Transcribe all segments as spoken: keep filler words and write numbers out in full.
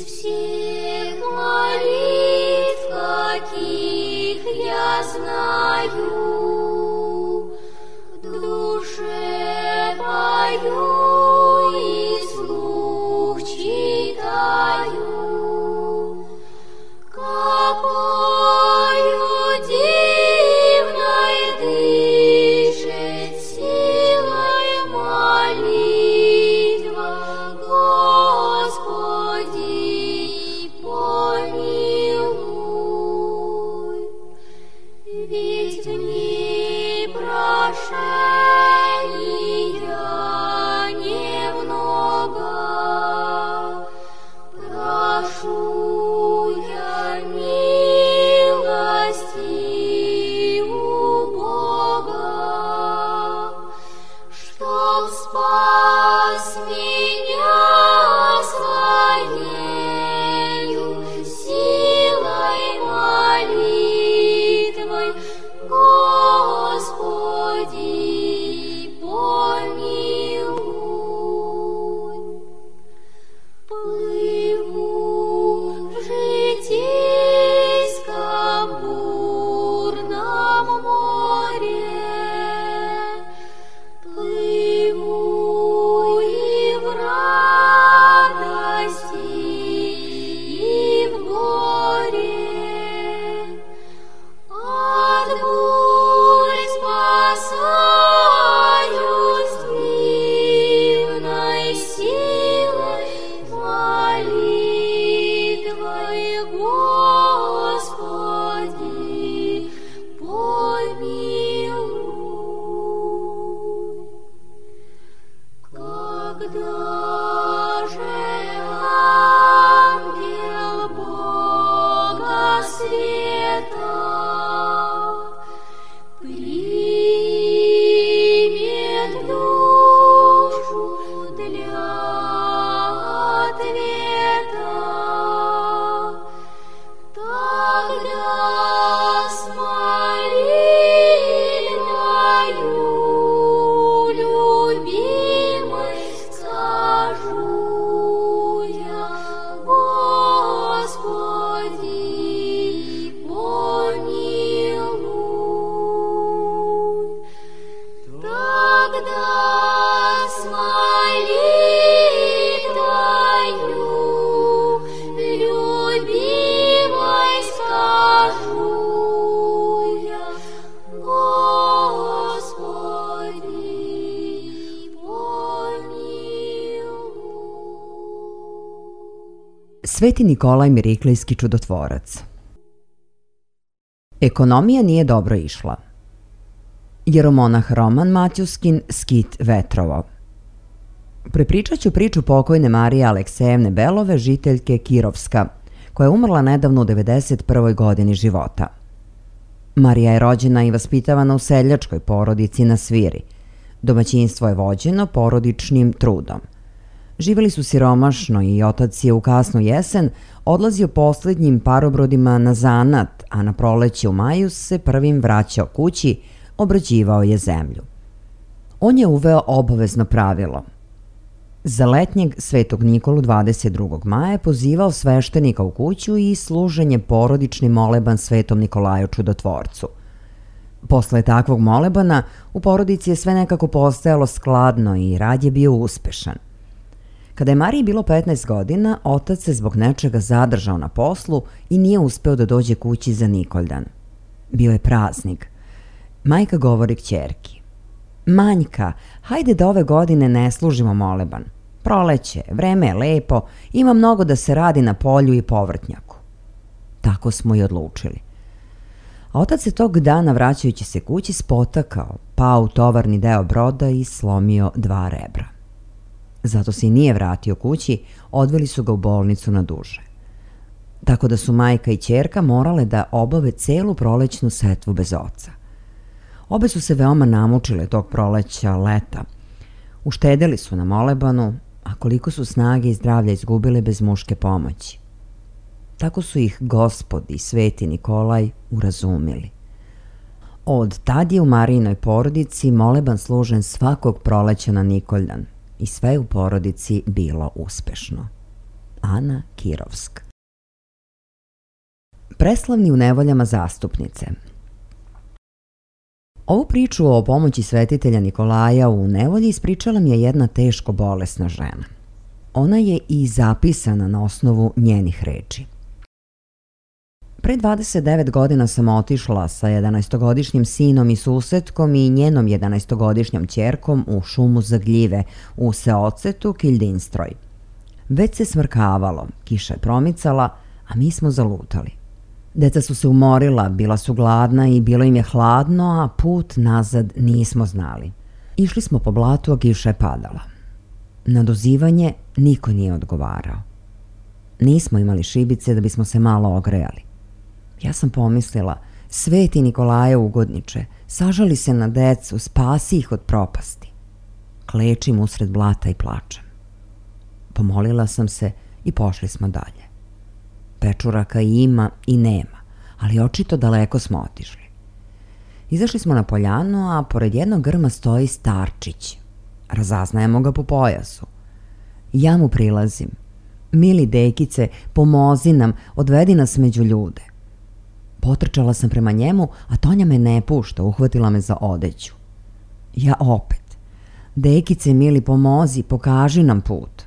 всех молитв, каких я знаю, в душе пою и вслух читаю, какою дивной дышит силой молитва, Господи, помилуй. Ведь в ней прошения немного, прошу я милости у Бога, чтоб спас меня своею силой молитвой, Господи, помилуй. Плыву в житейском бурном море, плыву и в радости, и в горе, от бурь спасаюсь дивной силой молитвой, Господи, помилуй. Когда же ангел Бога света примет душу для ответа, тогда с молитвою любимой скажу я, Господи, помилуй. Тогда с молитвою любимой скажу я, Господи, помилуй. Sveti Nikolaj Miriklijski čudotvorac. Ekonomija nije dobro išla. Jeromonah Roman Matjuskin, Skit Vetrovo. Prepričat ću priču pokojne Marije Aleksejevne Belove, žiteljke Kirovska, koja je umrla nedavno u devedeset prvoj godini života. Marija je rođena i vaspitavana u seljačkoj porodici na Sviri. Domaćinstvo je vođeno porodičnim trudom. Živeli su siromašno i otac je u kasnu jesen odlazio posljednjim parobrodima na zanat, a na proleće u maju se prvim vraćao kući, obrađivao je zemlju. On je uveo obavezno pravilo. Za letnjeg Svetog Nikolu dvadeset drugog maja je pozivao sveštenika u kuću i služenje porodični moleban Svetom Nikolaju Čudotvorcu. Posle takvog molebana u porodici je sve nekako postajalo skladno i rad je bio uspešan. Kada je Mariji bilo petnaest godina, otac se zbog nečega zadržao na poslu i nije uspeo da dođe kući za Nikoldan. Bio je praznik. Majka govori kćerki: Manjka, hajde da ove godine ne služimo moleban. Proleće, vreme je lepo, ima mnogo da se radi na polju i povrtnjaku. Tako smo i odlučili. A otac se tog dana, vraćajući se kući, spotakao, pao u tovarni deo broda i slomio dva rebra. Zato se i nije vratio kući, odveli su ga u bolnicu na duže. Tako da su majka i ćerka morale da obave celu prolećnu setvu bez oca. Obe su se veoma namučile tog proleća, leta. Uštedeli su na molebanu, a koliko su snage i zdravlja izgubile bez muške pomoći. Tako su ih Gospod i Sveti Nikolaj urazumili. Od tad je u Marijinoj porodici moleban služen svakog proleća na Nikoldan i sve u porodici bilo uspešno. Ana Kirovsk. Preslavni u nevoljama zastupnice. Ovu priču o pomoći svetitelja Nikolaja u nevolji ispričala mi je jedna teško bolesna žena. Ona je i zapisana na osnovu njenih reči. Pre dvadeset devet godina sam otišla sa jedanaestogodišnjim sinom i susetkom i njenom jedanaestogodišnjom ćerkom u šumu za gljive u seocetu Kildinstroj. Već se smrkavalo, kiša je promicala, a mi smo zalutali. Deca su se umorila, bila su gladna i bilo im je hladno, a put nazad nismo znali. Išli smo po blatu, a kiša je padala. Na dozivanje niko nije odgovarao. Nismo imali šibice da bismo se malo ogrejali. Ja sam pomislila, sveti Nikolaje ugodniče, sažali se na decu, spasi ih od propasti. Klečim usred blata i plačem. Pomolila sam se i pošli smo dalje. Pečuraka ima i nema, ali očito daleko smo otišli. Izašli smo na poljanu, a pored jednog grma stoji starčić. Razaznajemo ga po pojasu. Ja mu prilazim. Mili dekice, pomozi nam, odvedi nas među ljude. Potrčala sam prema njemu, a Tonja me ne pušta, uhvatila me za odeću. Ja opet. Dekice, mili, pomozi, pokaži nam put.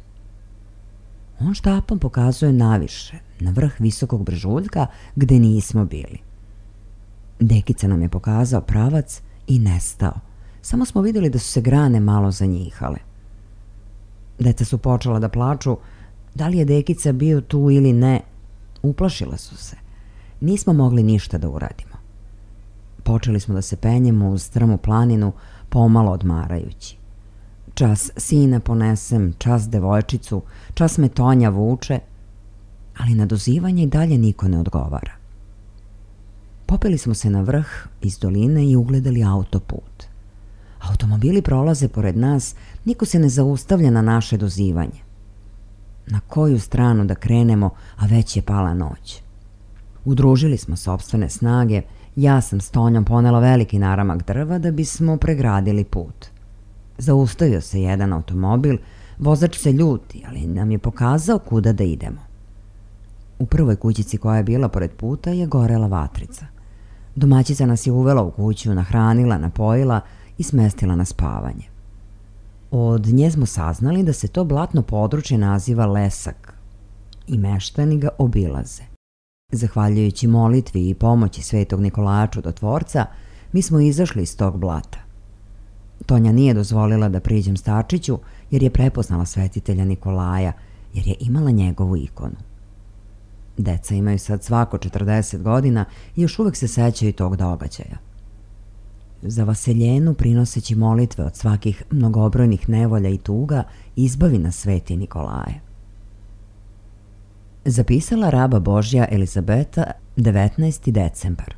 On štapom pokazuje naviše, na vrh visokog brežuljka gde nismo bili. Dekica nam je pokazao pravac i nestao. Samo smo vidjeli da su se grane malo zanjihale. Deca su počela da plaču, da li je Dekica bio tu ili ne. Uplašila su se. Nismo mogli ništa da uradimo. Počeli smo da se penjemo uz strmu planinu, pomalo odmarajući. Čas sina ponesem, čas devojčicu, čas me Tonja vuče, ali na dozivanje i dalje niko ne odgovara. Popeli smo se na vrh iz doline i ugledali autoput. Automobili prolaze pored nas, niko se ne zaustavlja na naše dozivanje. Na koju stranu da krenemo, a već je pala noć. Udružili smo sopstvene snage, ja sam s Tonjom ponela veliki naramak drva da bismo pregradili put. Zaustavio se jedan automobil, vozač se ljuti, ali nam je pokazao kuda da idemo. U prvoj kućici koja je bila pored puta je gorela vatrica. Domaćica nas je uvela u kuću, nahranila, napojila i smestila na spavanje. Od nje smo saznali da se to blatno područje naziva Lesak i meštani ga obilaze. Zahvaljujući molitvi i pomoći svetog Nikolaja Čudotvorca, mi smo izašli iz tog blata. Tonja nije dozvolila da priđem starčiću jer je prepoznala svetitelja Nikolaja, jer je imala njegovu ikonu. Deca imaju sad svako četrdeset godina i još uvek se sećaju tog događaja. Za vaseljenu, prinoseći molitve od svakih mnogobrojnih nevolja i tuga, izbavi nas sveti Nikolaje. Zapisala raba Božja Elizabeta, devetnaesti decembar.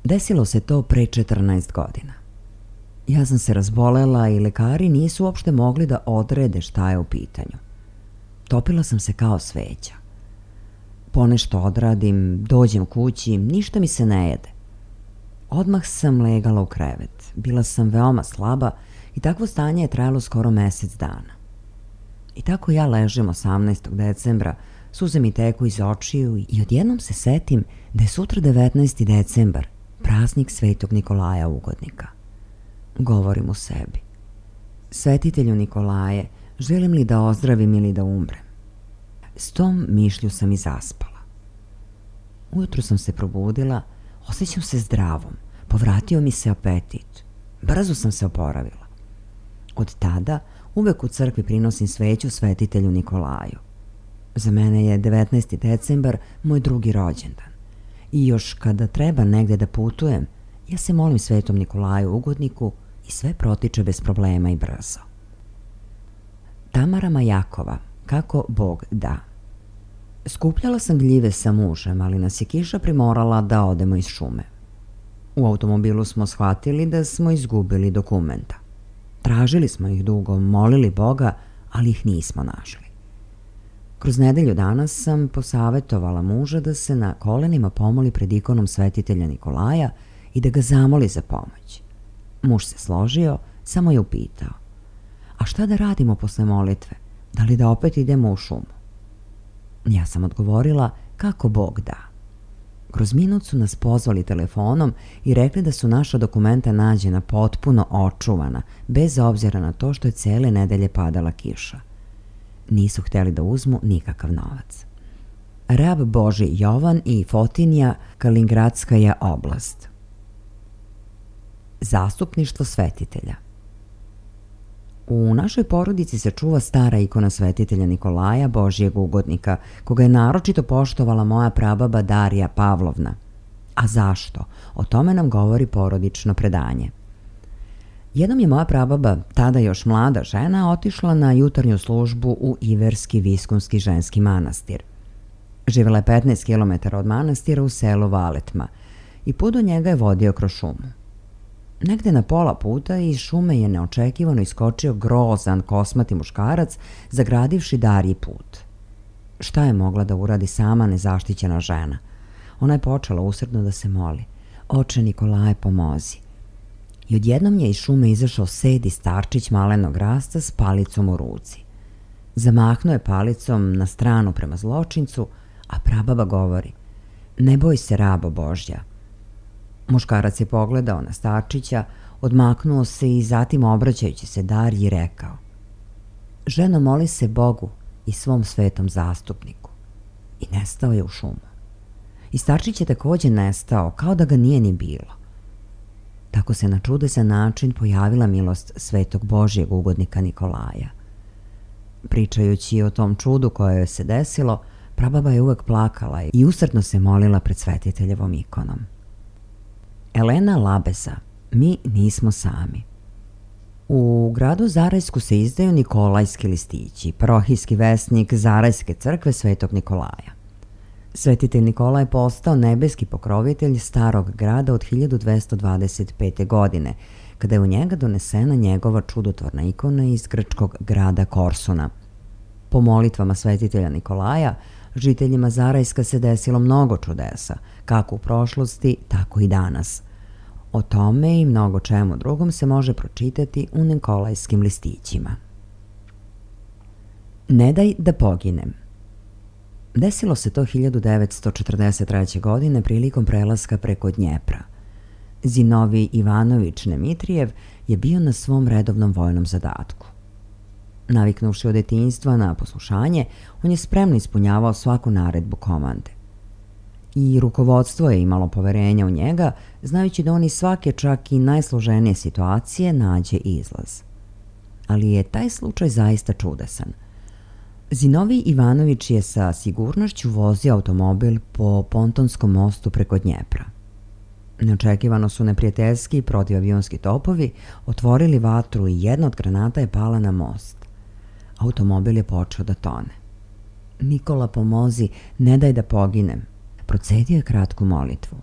Desilo se to pre četrnaest godina. Ja sam se razbolela i lekari nisu uopšte mogli da odrede šta je u pitanju. Topila sam se kao sveća. Ponešto odradim, dođem kući, ništa mi se ne jede. Odmah sam legala u krevet. Bila sam veoma slaba i takvo stanje je trajalo skoro mesec dana. I tako ja ležem osamnaestog decembra, suze mi teku iz očiju i odjednom se setim da je sutra devetnaesti decembar, praznik svetog Nikolaja Ugodnika. Govorim u sebi. Svetitelju Nikolaje, želim li da ozdravim ili da umrem? S tom mišlju sam i zaspala. Ujutro sam se probudila, osjećam se zdravom, povratio mi se apetit. Brzo sam se oporavila. Od tada uvek u crkvi prinosim sveću svetitelju Nikolaju. Za mene je devetnaesti decembar moj drugi rođendan. I još kada treba negde da putujem, ja se molim svetom Nikolaju Ugodniku i sve protiče bez problema i brzo. Tamara Majakova, kako Bog da. Skupljala sam gljive sa mužem, ali nas je kiša primorala da odemo iz šume. U automobilu smo shvatili da smo izgubili dokumenta. Tražili smo ih dugo, molili Boga, ali ih nismo našli. Kroz nedelju dana sam posavetovala muža da se na kolenima pomoli pred ikonom svetitelja Nikolaja i da ga zamoli za pomoć. Muž se složio, samo je upitao: a šta da radimo posle molitve? Da li da opet idemo u šumu? Ja sam odgovorila kako Bog da. Kroz minut su nas pozvali telefonom i rekli da su naša dokumenta nađena potpuno očuvana, bez obzira na to što je cele nedelje padala kiša. Nisu htjeli da uzmu nikakav novac. Rab Božji Jovan i Fotinja, Kalingradskaja oblast. Zastupništvo svetitelja. U našoj porodici se čuva stara ikona svetitelja Nikolaja, Božjeg ugodnika, koga je naročito poštovala moja prababa Darija Pavlovna. A zašto? O tome nam govori porodično predanje. Jednom je moja prababa, tada još mlada žena, otišla na jutarnju službu u Iverski Viskunski ženski manastir. Živjela je petnaest kilometara od manastira u selu Valetma i put do njega je vodio kroz šumu. Negde na pola puta iz šume je neočekivano iskočio grozan kosmati muškarac, zagradivši Dariji put. Šta je mogla da uradi sama nezaštićena žena? Ona je počela usredno da se moli: Oče Nikolaje, pomozi. I odjednom je iz šume izašao sedi starčić malenog rasta s palicom u ruci. Zamahnuo je palicom na stranu prema zločincu, a prababa govori: Ne boj se, rabo Božja. Muškarac je pogledao na starčića, odmaknuo se i zatim, obraćajući se Dariji, rekao: Ženo, moli se Bogu i svom svetom zastupniku. I nestao je u šumu. I starčić je također nestao, kao da ga nije ni bilo. Tako se na čudesan način pojavila milost svetog Božjeg ugodnika Nikolaja. Pričajući o tom čudu koje joj se desilo, prababa je uvek plakala i usrdno se molila pred svetiteljevom ikonom. Elena Labeza, mi nismo sami. U gradu Zarajsku se izdaju Nikolajski listići, parohijski vesnik Zarajske crkve svetog Nikolaja. Svetitelj Nikolaj je postao nebeski pokrovitelj starog grada od hiljadu dvesta dvadeset pete. godine, kada je u njega donesena njegova čudotvorna ikona iz grčkog grada Korsuna. Po molitvama svetitelja Nikolaja, žiteljima Zarajska se desilo mnogo čudesa, kako u prošlosti, tako i danas. O tome i mnogo čemu drugom se može pročitati u Nikolajskim listićima. Ne daj da poginem. Desilo se to hiljadu devetsto četrdeset treće. godine prilikom prelaska preko Dnjepra. Zinovij Ivanović Nemitrijev je bio na svom redovnom vojnom zadatku. Naviknuvši od detinjstva na poslušanje, on je spremno ispunjavao svaku naredbu komande. I rukovodstvo je imalo poverenja u njega, znajući da on iz svake, čak i najsloženije situacije, nađe izlaz. Ali je taj slučaj zaista čudesan. Zinovij Ivanović je sa sigurnošću vozio automobil po pontonskom mostu preko Dnjepra. Neočekivano su neprijateljski protivavionski topovi otvorili vatru i jedna od granata je pala na most. Automobil je počeo da tone. Nikola, pomozi, ne daj da poginem. Procedio je kratku molitvu.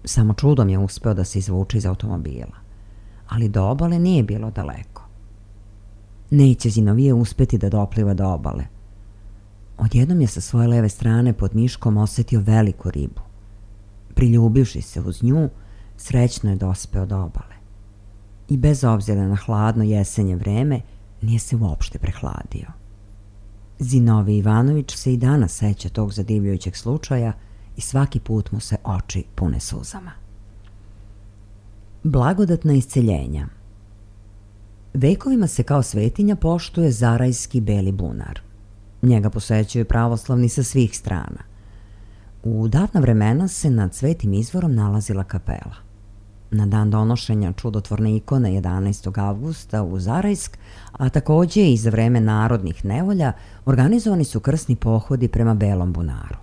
Samo čudom je uspeo da se izvuče iz automobila. Ali do obale nije bilo daleko. Neće Zinovije uspeti da dopliva do obale. Odjednom je sa svoje leve strane pod miškom osetio veliku ribu. Priljubivši se uz nju, srećno je dospeo do obale. I bez obzira na hladno jesenje vreme, nije se uopšte prehladio. Zinovij Ivanović se i danas seća tog zadivljujućeg slučaja i svaki put mu se oči pune suzama. Blagodatna isceljenja. Vekovima se kao svetinja poštuje Zarajski beli bunar. Njega posećuju pravoslavni sa svih strana. U davna vremena se nad svetim izvorom nalazila kapela. Na dan donošenja čudotvorne ikone jedanaestog avgusta u Zarajsk, a također i za vreme narodnih nevolja, organizovani su krsni pohodi prema Belom bunaru.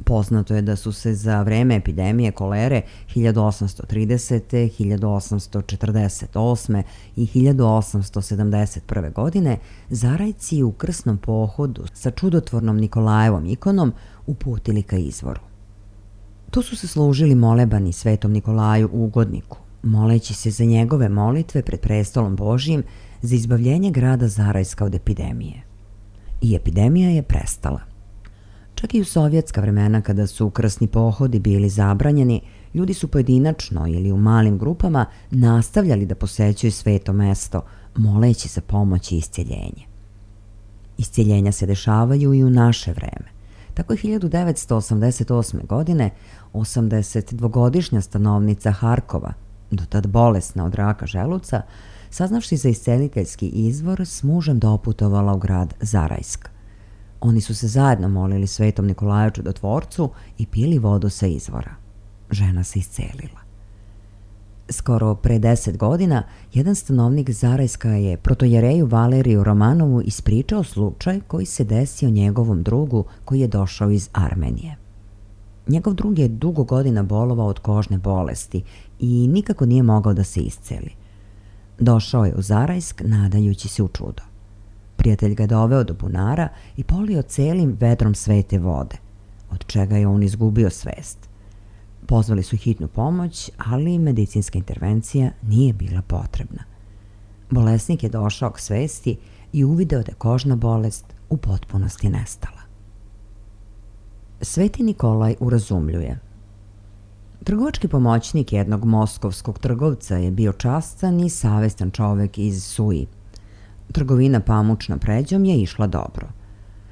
Poznato je da su se za vreme epidemije kolere hiljadu osamsto tridesete, hiljadu osamsto četrdeset osme i hiljadu osamsto sedamdeset prve. godine Zarajci u krsnom pohodu sa čudotvornom Nikolajevom ikonom uputili ka izvoru. Tu su se služili molebani svetom Nikolaju ugodniku, moleći se za njegove molitve pred prestolom Božjim za izbavljenje grada Zarajska od epidemije. I epidemija je prestala. Čak i u sovjetska vremena, kada su krsni pohodi bili zabranjeni, ljudi su pojedinačno ili u malim grupama nastavljali da posećuju sveto mesto, moleći za pomoć i isceljenje. Iscjeljenja se dešavaju i u naše vreme. Tako je hiljadu devetsto osamdeset osme. godine osamdesetdvogodišnja stanovnica Harkova, do tad bolesna od raka želuca, saznavši za isceliteljski izvor, s mužem doputovala u grad Zarajsk. Oni su se zajedno molili Svetom Nikolaju Čudotvorcu i pili vodu sa izvora. Žena se iscelila. Skoro pre deset godina, jedan stanovnik Zarajska je protojereju Valeriju Romanovu ispričao slučaj koji se desio njegovom drugu koji je došao iz Armenije. Njegov drug je dugo godina bolovao od kožne bolesti i nikako nije mogao da se isceli. Došao je u Zarajsk nadajući se u čudo. Prijatelj ga doveo do bunara i polio celim vedrom svete vode, od čega je on izgubio svest. Pozvali su hitnu pomoć, ali medicinska intervencija nije bila potrebna. Bolesnik je došao k svesti i uvideo da je kožna bolest u potpunosti nestala. Sveti Nikolaj urazumljuje. Trgovački pomoćnik jednog moskovskog trgovca je bio častan i savestan čovek iz Suji. Trgovina pamučnom pređom je išla dobro.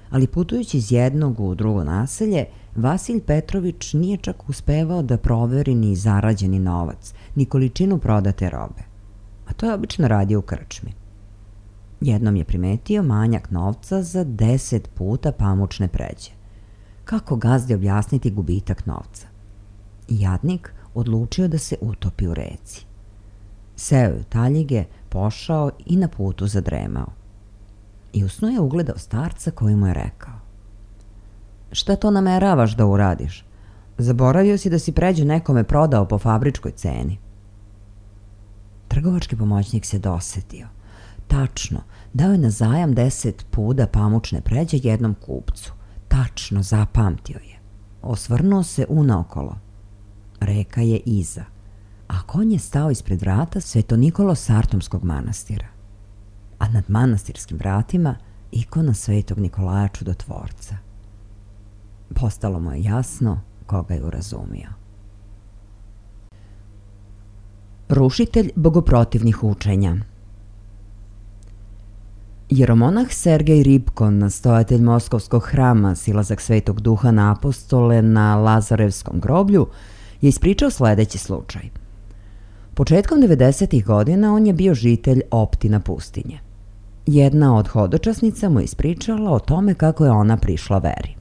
Ali putujući iz jednog u drugo naselje, Vasilj Petrović nije čak uspevao da proveri ni zarađeni novac, ni količinu prodate robe. A to je obično radio u krčmi. Jednom je primetio manjak novca za deset puta pamučne pređe. Kako gazdi objasniti gubitak novca? Jadnik odlučio da se utopi u reci. Seo je u taljige, pošao i na putu zadremao. I u snu je ugledao starca koji mu je rekao: "Šta to nameravaš da uradiš? Zaboravio si da si pređu nekome prodao po fabričkoj ceni." Trgovački pomoćnik se dosetio. Tačno, dao je na zajam deset puda pamučne pređe jednom kupcu. Tačno, zapamtio je. Osvrnuo se unaokolo. Reka je iza, a konj je stao ispred vrata Sveto Nikolo Sartomskog manastira. A nad manastirskim vratima ikona Svetog Nikolaja Čudotvorca. Postalo mu je jasno koga je urazumio. Rušitelj bogoprotivnih učenja. Jeromonah Sergej Ripkon, nastojatelj Moskovskog hrama Silazak Svetog Duha na apostole na Lazarevskom groblju, je ispričao sledeći slučaj. Početkom devedesetih godina on je bio žitelj Optina pustinje. Jedna od hodočasnica mu je ispričala o tome kako je ona prišla veri.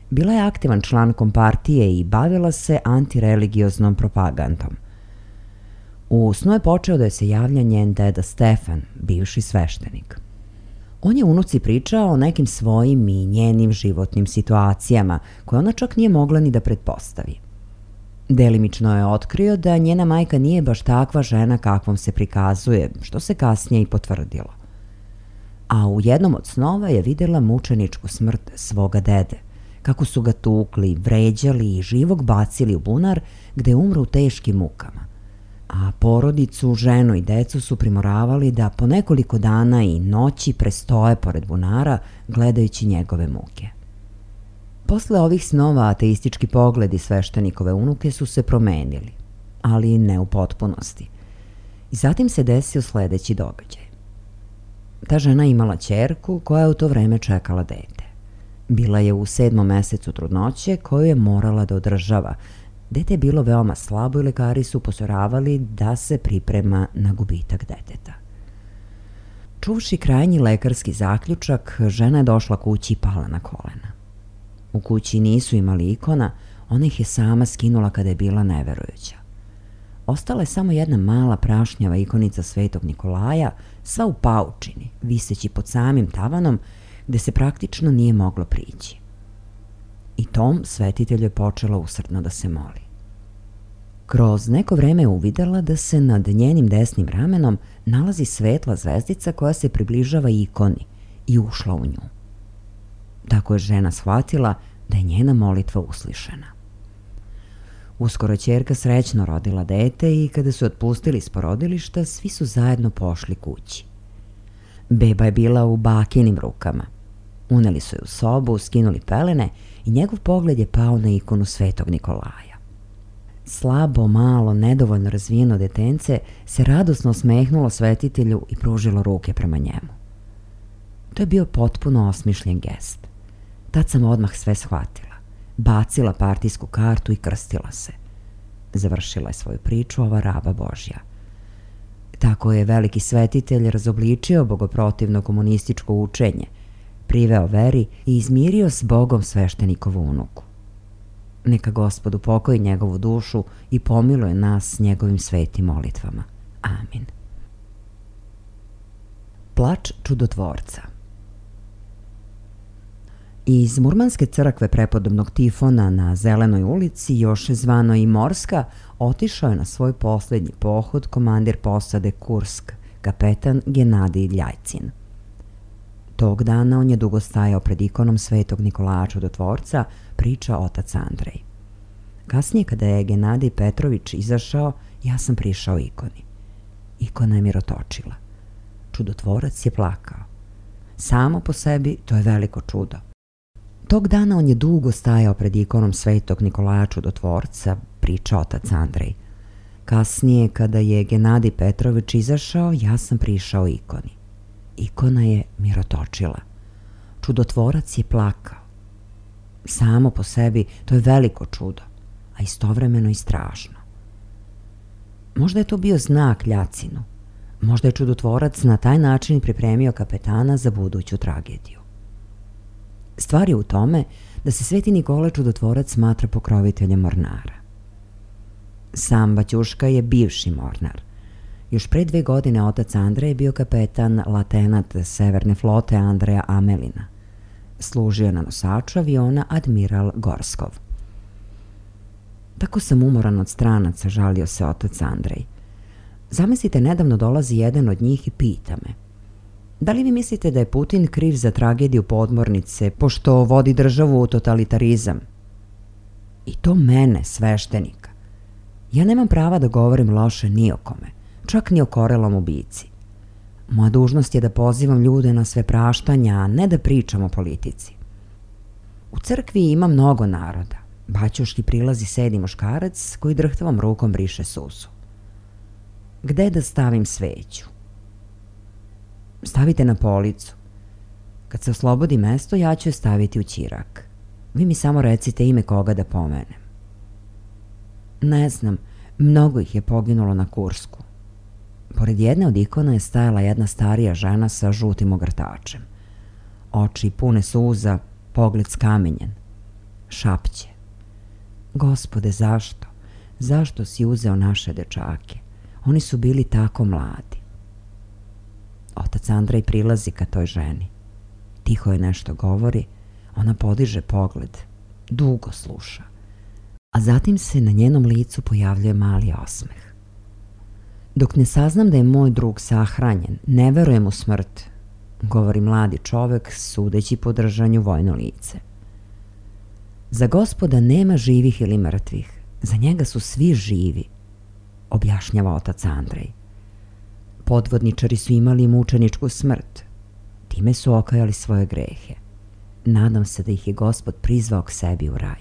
Bila je aktivan član kompartije i bavila se antireligioznom propagandom. U snu je počeo da se javlja njen deda Stefan, bivši sveštenik. On je unuci pričao o nekim svojim i njenim životnim situacijama, koje ona čak nije mogla ni da pretpostavi. Delimično je otkrio da njena majka nije baš takva žena kakvom se prikazuje, što se kasnije i potvrdilo. A u jednom od snova je vidjela mučeničku smrt svoga dede, kako su ga tukli, vređali i živog bacili u bunar gde je umro u teškim mukama. A porodicu, ženu i decu su primoravali da po nekoliko dana i noći prestoje pored bunara gledajući njegove muke. Posle ovih snova ateistički pogledi sveštenikove unuke su se promenili, ali ne u potpunosti. I zatim se desio sledeći događaj. Ta žena imala ćerku koja je u to vreme čekala dete. Bila je u sedmom mesecu trudnoće koju je morala da održava. Dete je bilo veoma slabo i lekari su upozoravali da se priprema na gubitak deteta. Čuvši krajnji lekarski zaključak, žena je došla kući i pala na kolena. U kući nisu imali ikona, ona ih je sama skinula kada je bila neverujuća. Ostala je samo jedna mala prašnjava ikonica Svetog Nikolaja, sva u paučini, viseći pod samim tavanom, gde se praktično nije moglo prići. I tom svetitelju je počela usrdno da se moli. Kroz neko vreme je uvidela da se nad njenim desnim ramenom nalazi svetla zvezdica koja se približava ikoni i ušla u nju. Tako je žena shvatila da je njena molitva uslišena. Uskoro je ćerka srećno rodila dete i kada su otpustili iz porodilišta, svi su zajedno pošli kući. Beba je bila u bakinim rukama. Uneli su je u sobu, skinuli pelene i njegov pogled je pao na ikonu Svetog Nikolaja. Slabo, malo, nedovoljno razvijeno detence se radosno osmehnulo svetitelju i pružilo ruke prema njemu. To je bio potpuno osmišljen gest. Tad sam odmah sve shvatila. Bacila partijsku kartu i krstila se. Završila je svoju priču ova raba Božja. Tako je veliki svetitelj razobličio bogoprotivno komunističko učenje, priveo veri i izmirio s Bogom sveštenikovu unuku. Neka Gospod upokoji njegovu dušu i pomiluje nas s njegovim svetim molitvama. Amin. Plač čudotvorca. Iz Murmanske crkve prepodobnog Tifona na Zelenoj ulici, još zvano i Morska, otišao je na svoj posljednji pohod komandir posade Kursk, kapetan Genadij Ljajcin. Tog dana on je dugo stajao pred ikonom svetog Nikolaja Čudotvorca, priča otac Andrej. Kasnije, kada je Genadij Petrović izašao, ja sam prišao ikoni. Ikona je mirotočila. Čudotvorac je plakao. Samo po sebi to je veliko čudo. Tog dana on je dugo stajao pred ikonom svetog Nikolaja Čudotvorca, priča otac Andrej. Kasnije, kada je Genadij Petrović izašao, ja sam prišao ikoni. Ikona je mirotočila. Čudotvorac je plakao. Samo po sebi to je veliko čudo, a istovremeno i strašno. Možda je to bio znak Ljacinu. Možda je čudotvorac na taj način pripremio kapetana za buduću tragediju. Stvar je u tome da se sveti Nikola Čudotvorac smatra pokroviteljem mornara. Sam Baćuška je bivši mornar. Još pre dve godine otac Andrej je bio kapetan latenat Severne flote Andreja Amelina. Služio na nosaču aviona Admiral Gorskov. Tako sam umoran od stranaca, žalio se otac Andrej. Zamislite, nedavno dolazi jedan od njih i pita me: da li vi mislite da je Putin kriv za tragediju podmornice, pošto vodi državu u totalitarizam? I to mene, sveštenika. Ja nemam prava da govorim loše ni o kome, čak ni o korelom ubici. Moja dužnost je da pozivam ljude na sve praštanja, a ne da pričam o politici. U crkvi ima mnogo naroda. Baćuški prilazi sedi muškarac koji drhtavom rukom briše suzu. Gde da stavim sveću? Stavite na policu. Kad se oslobodi mesto, ja ću je staviti u ćirak. Vi mi samo recite ime koga da pomenem. Ne znam, mnogo ih je poginulo na Kursku. Pored jedne od ikona je stajala jedna starija žena sa žutim ogrtačem. Oči pune suza, pogled skamenjen. Šapće: Gospode, zašto? Zašto si uzeo naše dečake? Oni su bili tako mladi. Otac Andrej prilazi ka toj ženi. Tiho je nešto govori, ona podiže pogled, dugo sluša, a zatim se na njenom licu pojavljuje mali osmeh. Dok ne saznam da je moj drug sahranjen, ne verujem u smrt, govori mladi čovek sudeći po držanju vojno lice. Za Gospoda nema živih ili mrtvih, za njega su svi živi, objašnjava otac Andrej. Podvodničari su imali mučeničku smrt, time su okajali svoje grehe. Nadam se da ih je Gospod prizvao k sebi u raj.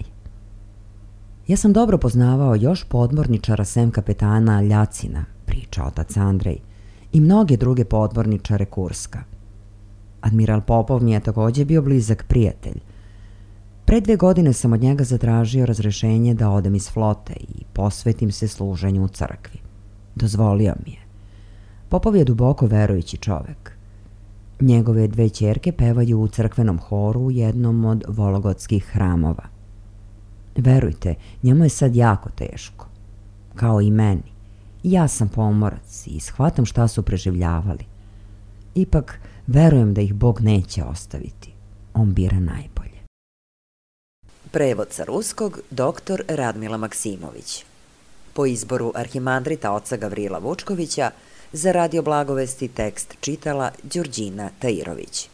Ja sam dobro poznavao još podmorničara sem kapetana Ljacina, priča otac Andrej, i mnoge druge podmorničare Kurska. Admiral Popov mi je također bio blizak prijatelj. Pre dve godine sam od njega zatražio razrešenje da odem iz flote i posvetim se služenju u crkvi. Dozvolio mi je. Popov je duboko verujući čovek. Njegove dve ćerke pevaju u crkvenom horu u jednom od vologotskih hramova. Verujte, njemu je sad jako teško. Kao i meni. Ja sam pomorac i shvatam šta su preživljavali. Ipak, verujem da ih Bog neće ostaviti. On bira najbolje. Prevod sa ruskog doktor Radmila Maksimović. Po izboru arhimandrita oca Gavrila Vučkovića, za Radio Blagovesti tekst čitala Đurđina Tairović.